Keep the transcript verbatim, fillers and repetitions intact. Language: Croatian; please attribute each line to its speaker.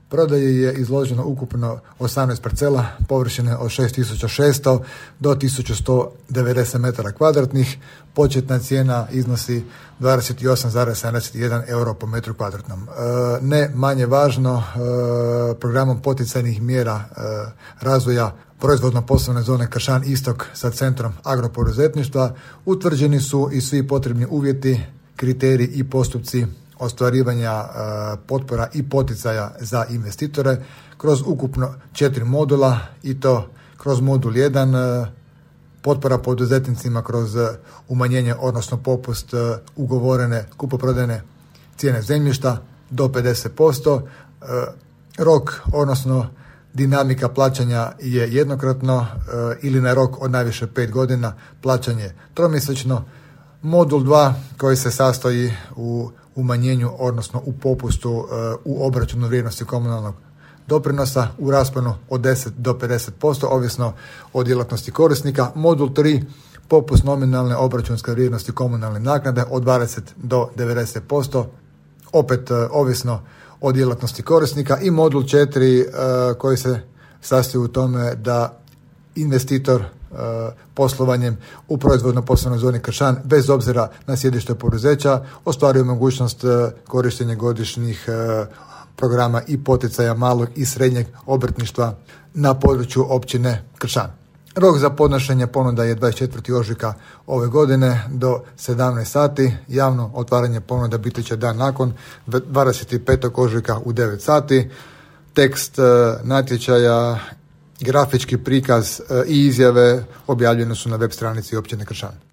Speaker 1: Prodaji je izloženo ukupno osamnaest parcela površine od šest tisuća šesto do tisuću sto devedeset metara kvadratnih. Početna cijena iznosi dvadeset osam zarez sedamdeset jedan euro po metru kvadratnom. E, ne manje važno, e, programom poticajnih mjera e, razvoja proizvodno-poslovne zone Kršan Istok sa centrom agropoduzetništva utvrđeni su i svi potrebni uvjeti, kriteriji i postupci ostvarivanja e, potpora i poticaja za investitore kroz ukupno četiri modula, i to kroz modul jedan e, potpora poduzetnicima kroz umanjenje, odnosno popust e, ugovorene kupoprodajne cijene zemljišta do pedeset posto. E, rok, odnosno dinamika plaćanja je jednokratno e, ili na rok od najviše pet godina, plaćanje tromjesečno. Modul dva koji se sastoji u umanjenju, odnosno u popustu uh, u obračunu vrijednosti komunalnog doprinosa u rasponu od deset do pedeset posto, ovisno o djelatnosti korisnika. Modul tri, popust nominalne obračunske vrijednosti komunalne naknade od dvadeset do devedeset posto, opet uh, ovisno o djelatnosti korisnika. I modul četiri uh, koji se sastoji u tome da investitor poslovanjem u proizvodno-poslovnoj zoni Kršan, bez obzira na sjedište poduzeća, ostvaruje mogućnost korištenja godišnjih programa i poticaja malog i srednjeg obrtništva na području općine Kršan. Rok za podnošenje ponuda je dvadeset četvrtog ožujka ove godine do sedamnaest sati. Javno otvaranje ponuda biti će dan nakon, dvadeset petog ožujka u devet sati. Tekst natječaja, grafički prikaz i izjave objavljene su na web stranici općine Kršan.